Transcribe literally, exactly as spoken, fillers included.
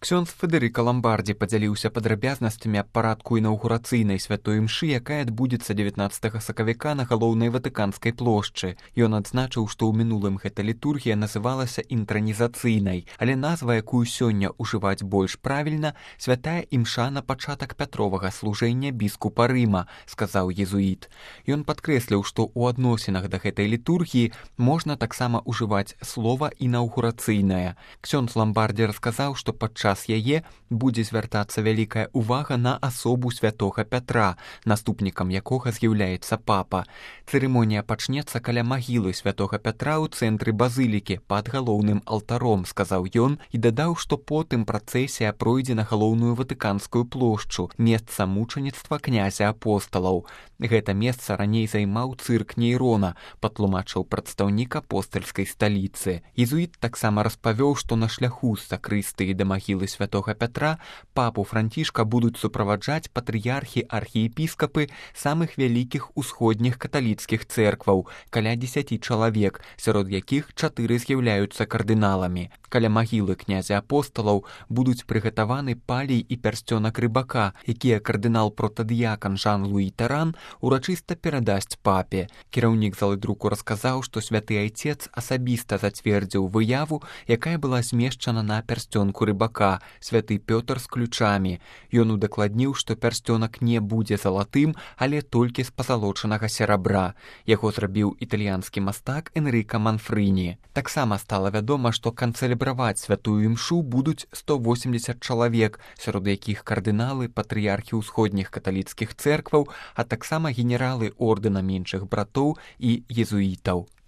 Ксёндз Федэрыка Ламбардзі падзяліўся падрабязнасцямі аб парадку інаўгурацыйнай святой імшы, якая адбудзецца дзевятнаццатага сакавіка на галоўнай ватыканскай плошчы. Ён адзначыў, што ў мінулым гэта літургія называлася інтранізацыйнай, але назва, якую сёння ўжываць больш правільна, святая імша на пачатак пятровага служэння біскупа Рыма, сказаў езуіт. Ён падкрэсліў, што ў адносінах да гэтай літургіі можна таксама ўжываць слова інаўгурацыйная. Ксёндз Ламбардзі расказаў, што падчас яе будзе звяртацца вялікая ўвага на асобу святога Пятра, наступнікам якога з'яўляецца папа. Цырымонія пачнецца каля магілы святога Пятра ў цэнтры базылікі пад галоўным алтаром, сказаў ён і дадаў, што потым працэсія пройдзе на галоўную ватыканскую плошчу, месца мучаніцтва князя апосталаў. Гэта месца раней займаў цырк Нейрона, патлумачыў прадстаўнік апостальскай сталіцы. Езуіт таксама распавёў, што на шляху з сакрыстыі да магілы святога Пятра папу Францішка будуць суправаджаць патрыярхі архіепіскапы самых вялікіх усходніх каталіцкіх цэркваў, каля дзесяці чалавек, сярод якіх чатыры з'яўляюцца кардыналамі. Каля магілы князя апосталаў будуць прыгатаваны палій і пярсцёнак рыбака, якія кардынал-протадыякан Жан-Луі Таран урачыста перадасць папе. Кіраўнік залы друку расказаў, што святы айцец асабіста зацвердзіў выяву, якая была змешчана на пярсцёнку рыбака, святы Пётр з ключамі. Ён удакладніў, што пярсцёнак не будзе залатым, але толькі з пазалочанага серабра. Яго зрабіў італьянскі мастак Энрыка Манфрыні. Таксама стала вядома, што канцэлебраваць святую імшу будуць сто восемдзесят чалавек, сярод якіх кардыналы, патрыярхі ўсходніх каталіцкіх цэркваў, а таксама генералы ордэна меншых братоў і езуітаў.